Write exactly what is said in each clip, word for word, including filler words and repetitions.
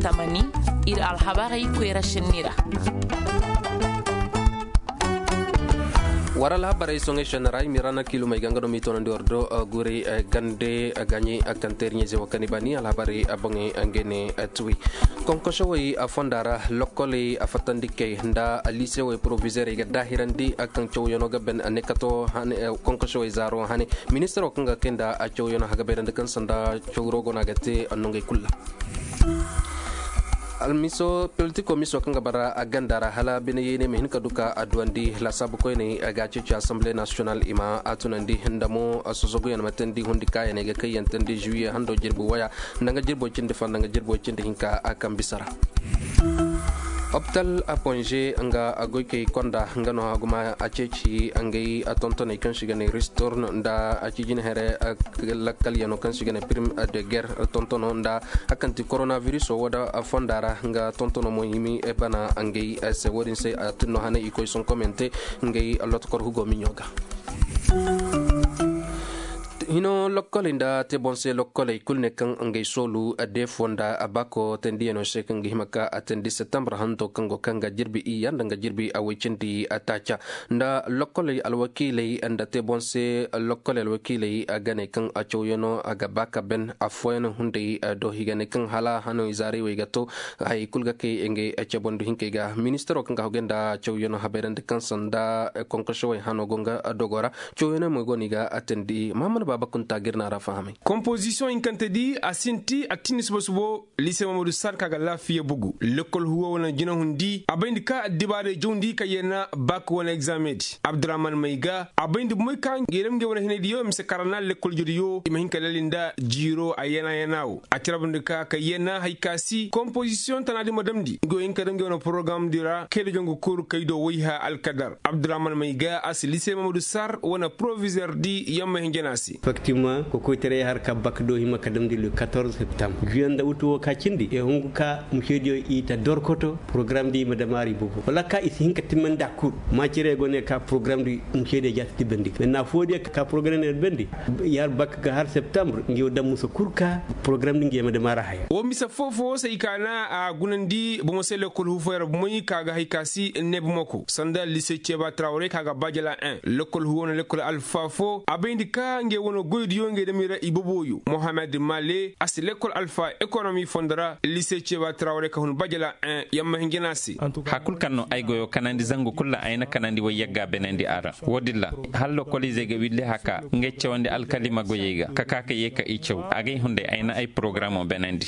Tamani, ir alhabarey koyra šenni ra. War alhabarey soŋey šenni ra i ma i ra na kiilumey ga nga no m'i toonandi war do guray gande gaɲey kaŋ teeri ɲayze wo kaŋ i ba ni alhabarey boŋey ngey ne tuwi. Konkosewey fonda ra lokkoley fattandikey nda liisewey porovizeerey ga daahirandi kaŋ cawyanoo ga ben ne kato. Konkosewey zaaro hane ministiroo kaŋ ga kay nda cawyanoo hagabayrandi kaŋ sanda cawro go no a ga te nongey kul ra. Almiso politiko miso kaŋ ga bara a ganda ra hala bine yeene ma hin ka du ka a duwandi laasaabu koyney ga a ceeci asamble nasiyonal i ma a tunandi nda mo sosoguyaŋ ma teendi hundi kaayaney ga kaŋ yaŋ teendi juwiye hando jirbi waya nda nga jirbo cindi fo nda nga jirbo cindi hinka a kaŋ bisa ra. Hopital aponge nga goykey konda nga no haguma a ceeci ngey tontoney kaŋ si ga ne ristorn nda a ci jine here lakkalyanoo kaŋ si ga ne prim de guerre tontono nda a kaŋ ti koronaviriso wo da fonda ra nga tontono mo himi bana ngey se wo- din se a tinno hane i koy sonkomyante ngey lotokor hugo miɲo ga. Hino lokkoley nda te boŋ se lokkoley kulu ne kaŋ ngey soolu deefo nda baako teendiyanoo se kaŋ ga hima ka a teendi septembre hanto kaŋ go kaŋ ga jirbi iyya nda nga jirbi a woy cindi taaca nda lokkoley alwakiiley nda te boŋ se lokkoley alwakiiley a ga ne kaŋ a cawyanoo a ga ba ka ben affooyaŋ hunday do i ga ne kaŋ hala hano izaarey wey ga to. Hayey kulu ga kay ngey cebondu hinkey ga ministiroo kaŋ ga hogey nda cawyanoo habayrandi kaŋ sanda konkosewey hano go nga dogo ra. Cawyanoo mo go no i ga a teendi mahamad baaba kunta ga ir na ra fahamay. Kompozisiyoŋ hinkante di a sinti a tindi suba-subo lise mamadu sar ka ga laafiya bugu lekkol huwo wala jinahundi a bayndi ka addibaarey jawndi ka yee na baak wala egzaameŋ di abdurahman may ga a bayndi bomey ka ngey dam ngey wane hinay diyo mise karana lekkol jodiyo i ma hin ka lali nda jiiro a yana yana wo a tira banda ka ka yana hay ka si kompozisiyoŋ tana di ma damndi ngey wo hin ka dam ngey wane porogaram di ra kay da jangu kuru kay do wayha alkadar abdurahman may ga a si lise mamadu sar wane porovizer di yamma hinjana se. Efektivement kokoytaray har ka bak do hima ka damndi le quatorze septembre juye nda utu wo ka cindi e hungu ka mušediyo i ta dorkoto porogaram di i ma damaari bobo wala ka i si hin ka timmandi a kul. Maacirey go ne ka porogaram di mušediyo ja si tibbandi men na foodiyo ka porogaram di bendi. Yar bak ga har septembre ngi wo dam musa kul ka porogaram di ngi yama damaara haya. Wo mise foofo say ka na a gunandi bomo se lekkol huufoyra bomoy ka ga hay ka si ne bomoko sanda lise ceba trawre ka ga bajala en lekkol huuwo na lekkol alfa fo a bayndi ka nge wono goydiyo nge damira iboboyo mohamed male a si lekkol alfa ekonomi fondora lise ceba trawre ka hun bajala en yamma hinjina se. Hakul kaŋ no ay goyo kanandi zangu kulla ay na kanandi way yagga benandi a ra. Wo-din ra, hala lokoliizey ga willi haka ngey cawandi alkalima goyey ga ka ka ka ye ka i caw agay hunday ay na ay porogaramoo benandi.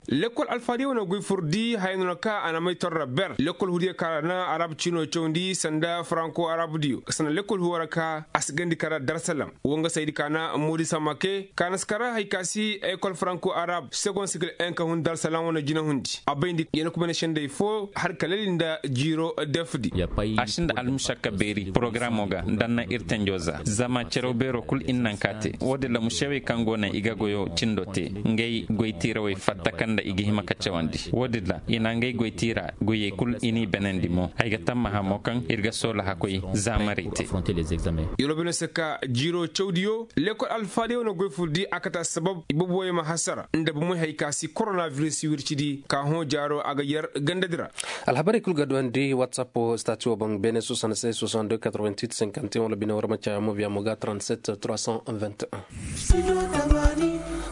Lekkol alfaadiyo wane goy furdi haya no na ka a na may torra ber lekkol hudiyo ka ra na arab ciinoo cawandi sanda faranko arabdiyo sanda lekkol huwo ra ka a si gandi kara darsalam. Wo nga saydi ka na moodi samake ka na si kara hay ka si ekol faranko arab segon sikil en ka hun darsalam wane jinahundi a bayndi yana kumene sendey fo har ka lali nda jiiro defdi. A sinda almušakka beeri porogaramoo ga nda na ir tenjo za zama cere beeroo kul ir naŋ ka te. Wo-din ra mušewey kaŋ go naŋ i ga goyo cindo te ngey goy tiirawey fatta kaŋ nda i ga hima ka cawandi wo-din ra i na ngey goy tiira goyey kul i n'i benandi mo ay ga tammaha mo kaŋ ir ga soola hakkoy zaamarey te. Yeroo bine se ka jiiroo cawdiyo lekkol alfaadiyo na goy furdi a kate assabab i boboyey ma hasara nda bomey hay ka si koronaviris wircidi ka hõ jaaroo a ga yer gandadi ra. Alhabarey kul ga duwandi whatsapp stati wo boŋ beene soixante-seize soixante-deux quatre-vingt-huit cinquante et un wala bine war ma caya mobiya mo ga trente-sept trois cent vingt et un.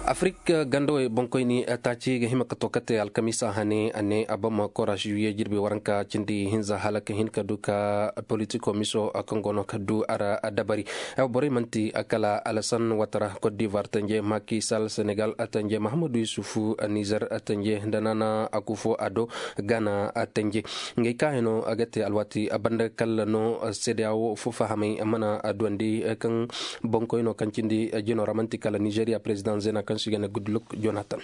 Afrik gandawey boŋkoyni taaci ga hima ka to kate alkamiisa hane a ne a bama kora juye jirbi waranka cindi hinza hala ka hin ka du ka politiko miso kaŋ go no ka du a ra dabari. Borey manti kala alasan watara cote d'ivoire tanje maki sal senegal tanje mahamadu yusufu nizer tanje nda nana akufo ado gana tanje. Ngey ka hino a ga te alwaati banda kala no sedeyawo fo fahamay mana duwandi kaŋ boŋkoyno kaŋ cindi jino ra manti kala nizeria president zena kaŋ si ga ne goodluck jonathan.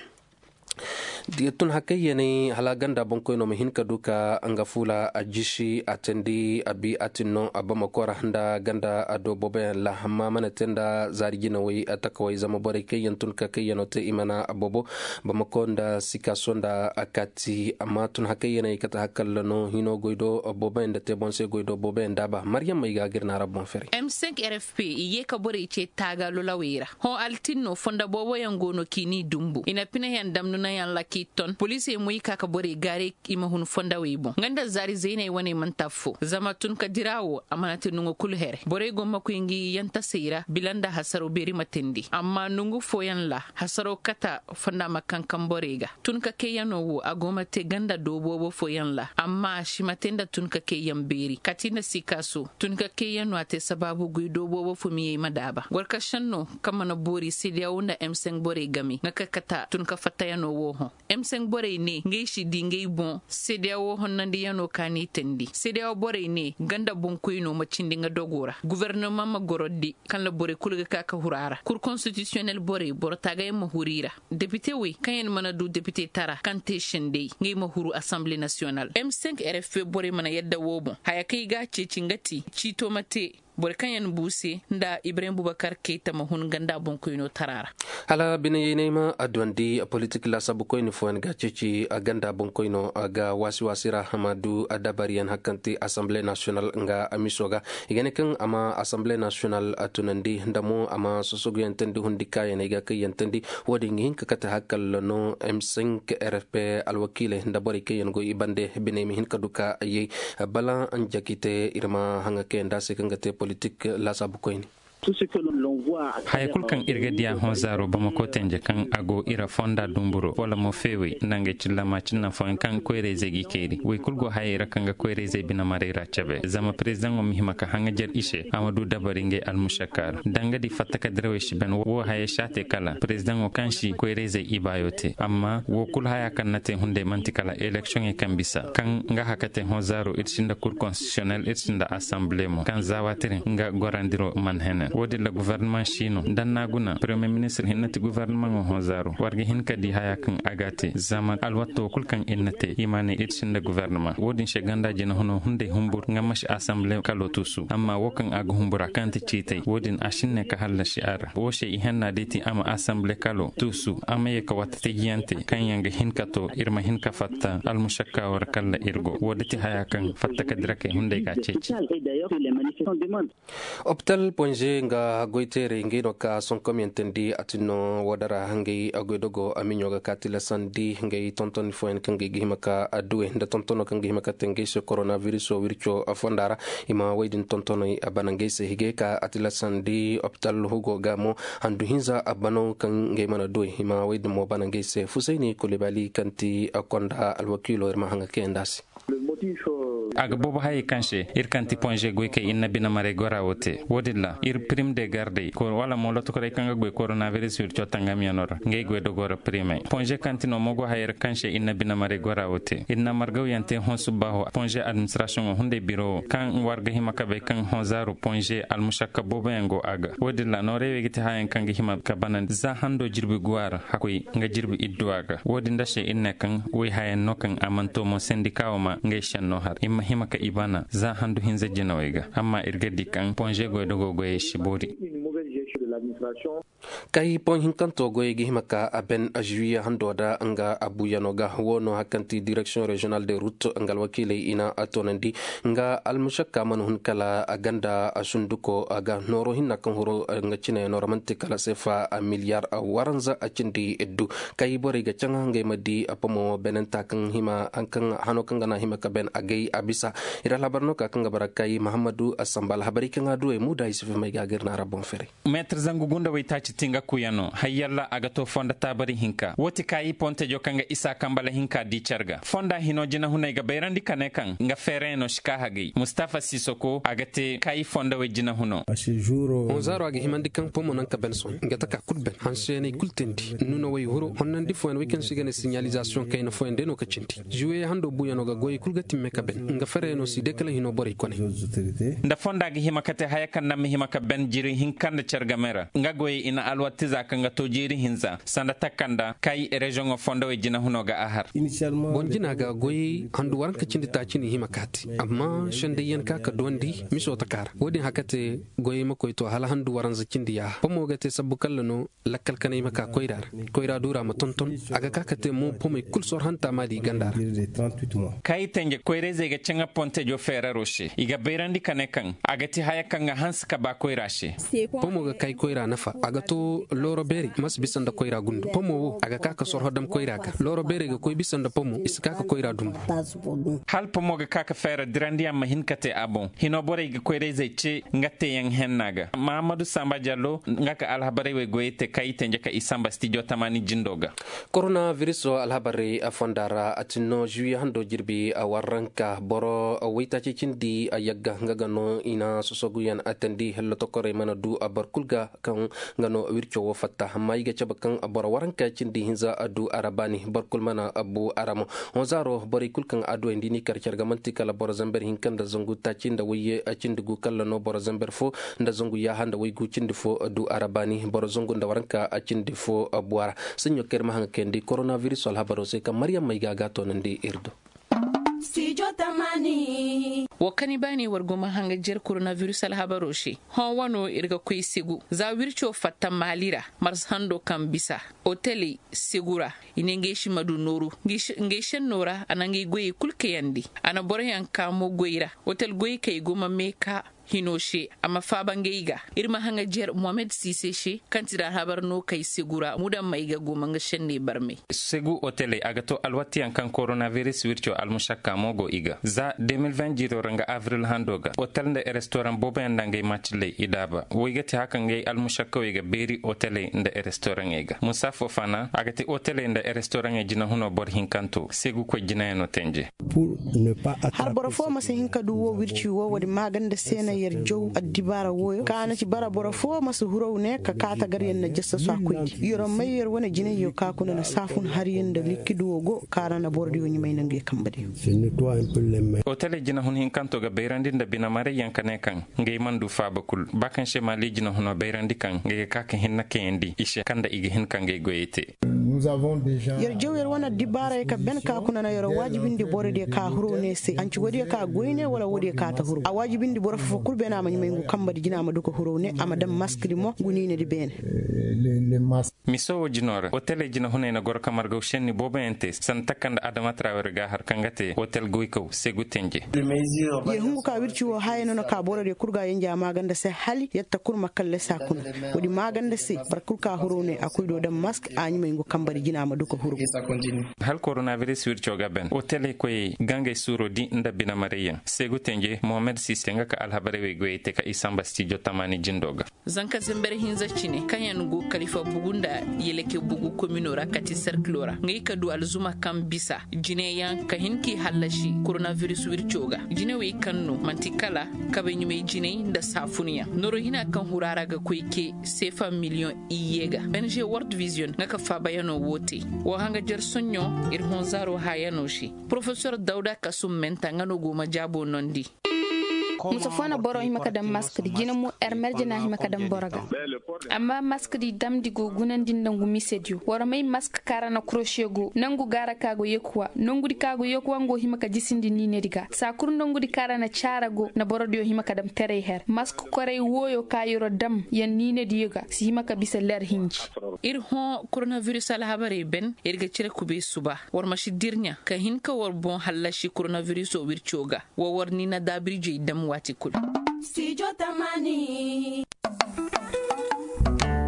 Tun hakayyanay hala ganda boŋkoyno ma hin ka du ka nga fuula a jisi a teendi a bi a tin no a bamako ra nda ganda a do booboyaŋ ra amma mana te nda zaari jinawey takawey zama borey kaŋ yaŋ tun ka kaŋ yaŋ no te i mana boobo bamako nda sikaso nda a kaati amma tun hakayyanay kate hakalla no hino goy do booboyaŋ nda te boŋ se goy do booboyaŋ daaba maryaŋ may ga gir na ra boŋ fere. M cinq r f p i ye ka borey ce taaga lolawey ra hõ altinno fonda booboyaŋ go no k'i n'i dumbu i na pinayaŋ dam nunayaŋ ra. I ton poliisey mo i ka ka borey gaaray i ma hun fondawey boŋ nga nda zaari zayney wane manti affo zama tun ka dira wo a mana te nongo kulu here borey go makoy ngi yantasey ra bila nda hasaro beeri ma teendi amma nongu fooyaŋ ra hasaro kata fonda ma kankan borey ga. Tun ka kayyanoo wo a go ma te ganda doo boobo fooyaŋ ra amma a si ma te nda tun ka kayyan beeri kati nda sikaaso tun ka kayyanoo a te sabaabu guy doo boobo fo miyey ma daaba gorka šennoo kaŋ mana boori seediya wo nda m cinq borey game nga ka kata tun ka fattayanoo wo hõ. M cinq borey ne ngey si di ngey boŋ seediya wo honnandiyanoo ka n'i teendi seediya wo borey ne ganda boŋkoynoo ma cindi nga dogoo ra gofornoma ma gorodi kaŋ ra borey kul ga ka ka huru a ra kur konstitisiyonel borey boro taagayaŋ ma huru i ra. Depite wey kaŋ yaŋ mana du depite tara kaŋ te sendey ngey ma huru asanbile nasiyonal m cinq rfp borey mana yadda woo boŋ haya kaŋ i ga a ceeci nga ti ciito ma te boro kaŋ yaŋ buu se nda ibrahim bubakar kayta ma hun ganda boŋkoynoo tara ra. Hala bine yaynay ma adduwandi politik laasaabu koyni fooyaŋ ga ceeci ganda boŋkoynoo ga waasi waasi ra a ma du dabariyaŋ hari kaŋ ti asanbile nasiyonal nga miso ga. I ga ne kaŋ a ma asanbile nasiyonal tunandi nda mo a ma sosoguyaŋ teendi hundi kaayaney ga kaŋ yaŋ teendi. Wo-din ga hin ka kate hari kala no m cinq rfp alwakiiley nda borey kaŋ yaŋ go i bande biney ma hin ka du ka yay bala njakite ir ma haŋa kaŋ yaŋ da se kaŋ ga te politik laasaabu koyne. Haya kul kaŋ ir ga diya hõ zaaro bamako tenje kaŋ a go ira fonda dumburo wala mo feewey nda ngey cilla ma cinna fooyaŋ kaŋ koyrayzey g'i kayri wey kul go hayey ra kaŋ ga koyrayzey bine maray ra cabe zama prezidaŋo ma hima ka haŋajer i se a ma du dabari ngey almušakka ra danga di fattaka dirawey si ben wo hayey si a te kala prezidaŋo kaŋ si koyrayzey ibaayo te amma wo kul haya kaŋ na te hunday man'ti kala eleksiyoŋey kaŋ bisa kaŋ nga haka te hõ zaaro ir sinda kur konstitisiyonel ir sinda asanbile mo kaŋ za waati din nga gorandiro man henen wo-din ra gofornamaŋ si no da n'a guna premiyer ministir hinne ti gofornamaŋo hõ zaaro war ga hin ka di haya kaŋ a ga te zama alwatto kul kaŋ ir na te i ma ne ir sinda gofornamaŋ wo-din se ganda jinahuno hunday humbur nga ma si asanbile kalo tuusu amma wo kaŋ a ga humbura kaŋ ti ciitay wo-din a si ne ka hallasi a ra wo se i henna day ti a ma asanbile kalo tuusu a ma ye ka watta tajiyante kaŋ yaŋ ga hin ka to ir ma hin ka fatta almušakka war kalla ir go wo da ti haya kaŋ fatta ka dira kay hunday ga ceeci. Opital ponze nga goyteerey ngey no ka sonkomyantandi a tin no woodara ngey goydogo a miɲo ga ka tilasandi ngey tontoni fooyaŋ kaŋ ngey ga hima ka adduwey nda tontono kaŋ ga hima ka te ngey se koronabiriso wirco fonda ra. I ma woy din tontoney a bana ngey se higey ka a tilasandi opital hugo ga mo handu hinza a bano kaŋ ngey mana duwey i ma woy din mo bana ngey se fusayni kulibali kaŋ ti konda alwakiilo ir ma haŋa kayandi a se. A ga boobo hayey kaŋ se ir kaŋ ti ponze goykey ir na bine maray gora wo te wo-din ra ir pirim de gardey wala mo lotokorey kaŋ ga goy koronabiris wirco tangamyano ra ngey goy dogo ra pirimey ponze kaŋ ti no mo go hayey ra kaŋ se ir na bine maray gora wo te ir na margawyaŋ te hõ subbaaho ponze administrasiyoŋo hunday biro wo kaŋ war ga hima ka bay kaŋ hõ zaaru ponze almusakka booboyaŋ go a ga wo-din ra noorey wey ga ti hayaŋ kaŋ ga hima ka banandi za hando jirbi guwa ra hakkoy nga jirbi idduwa ga wo-din da se ir ne kaŋ woy hayaŋ no kaŋ a mana to mo sendika wo ma ngey senno har i ma hima ka i bana za handu hinza jinawey ga amma ir ga di kaŋ ponze goydogo goyey si boori. Kay poŋ hinkanto goyey ga hima ka a ben azuwiye hando da nga abuuyano ga wo no hari kaŋ ti direksiyoŋ reziyonal de rut nga alwakiiley i na a toonandi nga almušakka mana hun kala a ganda a sunduko a ga nooro hinna kaŋ huru nga cinayano ra man'ti kala seefa miliyar waranza a cindi iddu. Kay borey ga caŋa ngey ma di pomo benenta kaŋ hima kaŋ hano kaŋ ga na hima ka ben a gay a bisa. Ir alhabar no ka kaŋ ga bara kay mahammadu assamba alhabarey kaŋ a duwey muuda isufu may ga gir na ra boŋ ferey. Meetir zangu gunda waytaaci ti nga kuyano hayyalla a ga to fondo taabari hinka wo ti kaayi pontejo kaŋ ga isa kambala hinka di car ga fonda hino jinahuney ga bayrandi ka ne kaŋ nga feerayano si ka hagay mustafa sisoko a ga te kaayi fondowey jinahuno. Honzaaro a ga himandi kaŋ pomo naŋ ka ben sohõ nga taka kul ben hanseyaney kul teendi nunawey huro honnandi fooyaŋ wey kaŋ se i ga ne siɲalizasiyoŋ kayna fooyaŋ day no ka cindi. Zuwey hando buuyano ga goyey kul ga timme ka ben nga feerayano si day kala hino borey kone. Nda fonda ga hima ka te haya kaŋ na ma hima ka ben jiri hinka nda car game ra nga goyey i na alwattiza kaŋ ga to jiiri hinza sanda takanda kay reziyoŋo fondowey jinahuno ga a har. Boŋ jina ga goyey handu waranka cindi taaci n'i hima ka te amma sendayyaŋ ka ka duwandi miso taka ra wo-din haka te goyey ma koy to hala handu waranza cindi yaaha pomo ga te sabbu kalla no. Lakkal kanay ma ka koyra ra koyra duura ma tonton a ga ka ka te mo pomey kul sor hanta maali ganda ra. Kaayi tenje koyrayzey ga caŋa pontejo feeraro se i ga bayrandi ka ne kaŋ a ga ti haya kaŋ ga hanse ka ba koyra se. Pomo ga kay Koyra nafa a ga to looro beerey ma si bisa nda koyra gundu pomo wo a ga ka ka sorho dam koyra ga. Looro beerey ga koy bisa nda pomo i si ka ka koyra dumbu. Hala pomo ga ka ka feera dirandiyaŋ ma hin ka te a boŋ hino borey ga koyrayzey ce nga teeyaŋ henna ga mahammadu samba jallo nga ka alhabarey wey goyey te kaŋ i tenje ka i samba stijo tamaani jindo ga. Koronabiriso alhabarey fonda ra a tin no žuwiye hando jirbi a warranka boro waytaaci cindi a yagga nga ga no i na sosoguyaŋ a tandi hellotokorey mana du a boro kul ga kaŋ nga no wirco wo fatta amma i ga cabe kaŋ boro waranka cindi hinza a du a ra baani boro kul mana bu a ra mo. Honzaaro borey kul kaŋ a duwey nda i n'i kar care ga man'ti kala boro zamber hinka nda zangu taaci nda wayye cindi gu kalla no boro zamber fo nda zangu yaaha nda waygu cindi fo du a ra baani boro zangu nda waranka cindi fo bu a ra. Saɲɲo kaŋ ir ma haŋ ga kayandi koronabiris alhabaro se kaŋ maryam may ga a ga a toonandi ir do. Wo kaŋ i baanay war go ma hanga jer koronabiris alhabaro se. Hõ wano ir ga koy segu za wirco fatta maali ra. Mars hando kaŋ bisa oteley segu ra. I ne ngey si ma du nooru ngey šenno ra a na ngey goyey kul kayandi. A na boroyaŋ kaa mo goy ra. Otel goyey kaŋ i go ma mee kaa hino se a ma faaba ngey ga. Ir ma haŋa jer mohamed siise se kaŋ ti da alhabar no kay segu ra mudammey ga goma nga senney barmey. Segu oteley a ga to alwatiyaŋ kaŋ koronabiris wirco almusakka mo go i ga za de mil vingt jiiro ra nga abril hando ga otel nda restoraŋ booboyaŋ nda ngey macilley i daaba wey ga ti haka ngey almusakkawey ga beeri oteley nda restoraŋey ga musa fofana a ga ti oteley nda restoraŋey jinahuno boro hinkanto segu koy jinayaŋo tenje. Har boro fo ma si hin ka du wo wirci wo woodi maaganda se na yer jaw addibaara wooyo ka na ci bara boro fo ma si huraw ne ka kaata gar yer na jassa su a koydi yer may yer wane jinayyo ka kuna na saafun har yer nda likkidu wo go ka ra na borodiyo ɲumay nangu yer kambadiyo. Oteley jinahun hinkanto ga bayrandi nda binamarayyaŋ ka ne kaŋ ngey mana du faaba kul ba kaŋ se maali jinahunoo bayrandi kaŋ ngey ga ka ka hinna kayandi i se kaŋ nda i ga hin ka ngey goyey te. Yer jaw yer wane addibaarey ka ben ka kuna na yer waajibindi borodiyo ka huro ne se anci woodiyo ka goy ne wala woodiyo ka ta huro a waajibindi boro fofo kul beene a ma ɲumay ngu kamba di jina a ma du ka huro ne a ma daŋ maskdi mo ngu niinedi beene. Miso wo jino ra oteley jinahuney na goro ka margaw senni booboyaŋ te sanda takanda adama trawere ga har kaŋ ga te otel goykaw segu tenje. Yer hungu ka wirci wo haya no na ka borodiyo kul ga yenja maaganda se hali yer ta kul ma kallasi a kuna. Woodi maaganda se boro kul ka huro ne a koy do daŋ mask a ɲumay ngu kambari jina ma du ka huru. Hala koronabiris wirco ga ben oteley koyey gangey suuro di nda binamarayyaŋ segu tenje mohamed siste nga ka alhabarey wey goyey te ka i samba stijo tamaani jindo ga. Zanka zember hinza cine kaŋ yaŋ go kalifa bugu nda yeleke bugu komino ra kati serkilo ra ngey ka du alzuma kaŋ bisa jineyaŋ ka hin k'i hallasi koronabiris wirco ga jinewey kaŋ no man'ti kala kabay ɲumay jinay nda saafunyaŋ noro hina kaŋ hura ra ga koy ke seefa miliyoŋ iyye ga benze word vision nga ka faabayaŋo wo te. Wo hanga jer soɲɲo ir honzaaro hayaŋo se. Porofesor dawda kasum menta nga no go ma jaabo nondi. Musa fo na boro hima ka daŋ maskadi jina mo ermerje na hima ka daŋ boro ga. Amma maskadi damndi go gunandi nda ngu misediyo war may mask kaara na kuroshe go nangu gaara ka go yekuwa nongudi ka go yekuwa ngo hima ka jisindi niinedi ga saa kul nongudi kaara na caara go na borodiyo hima ka daŋ teray her mask koray wooyo ka yero daŋ yaŋ niinediyo ga si hima ka bisa leer hinji. Ir hõ koronabiris alhabarey ben ir ga cire kubey suba war ma si dirɲa ka hin ka war boŋ hallasi koronabiriso wirco ga. Wa war ni na daabirjey dam waati kul.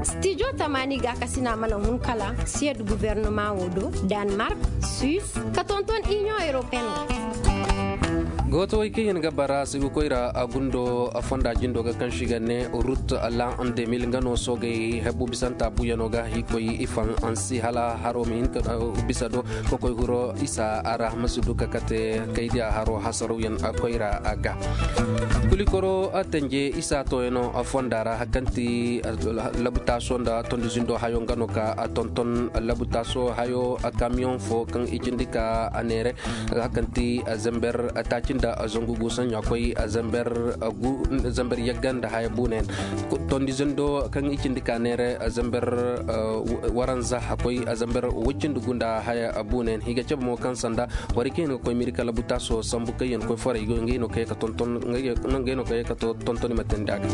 Stijo tamaani ga kasina mana hun kala siyad guvernoma wo do danmark, suis ka tonton union europeen. Gootawey kaŋ yaŋ ga bara sigu koyra a gundo fonda jindo ga kaŋ si ga ne rut lan demil nga no soogey hebbu bisanta buyano ga i koy i fan ansi hala haro ma hin ka bisa do. Kokoy huro isa a ra ma si du ka kate kaydiya haro hasarawyaŋ koyra ga. Kulikoro tanje isa toyano fonda ra hakanti labutaaso nda tondi zindo hayo nga no ka tonton labutaaso hayo kamiyoŋ fo kaŋ i cindi ka a neere hakanti zamber taaci nda zangu gu saɲɲa koy zamber yagga nda haya buunayaŋ. Tondi zindo kaŋ i cindi ka neere zamber waranza a koy zamber woy cindi gu nda haya buunayaŋ i ga cabe mo kaŋ sanda borey kaŋ yaŋ ga koy miri kala butaaso sambu kaŋ yaŋ koy forey go ngey no kaŋ yaŋ ga tonton i ma teendi a ga.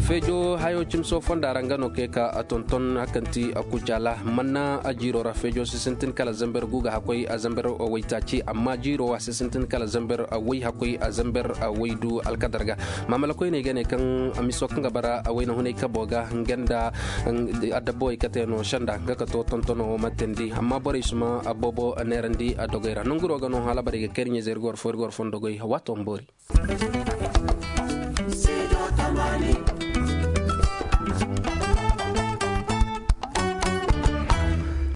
Feejo hayo cimso fonda ra nga no kay ka a tonton hakanti a kujala manna a jiiro ra feejo si sintin kala zamber guga hakoy a zamber waytaaci amma jiiro wa si sintin kala zamber way hakoy a zamber waydu alkadar ga. Maamalakoyney ga ne kaŋ miso kaŋ ga bara a wayna hunay kabo ga nga nda adabawey kate no senda nga ka to tontono wo ma teendi amma borey si ma boobo neerandi a dogey ra nonguro ga no hala bara i ga kay ir ɲayzey ir ga war fo ir ga war fo nda goy waato ma boori.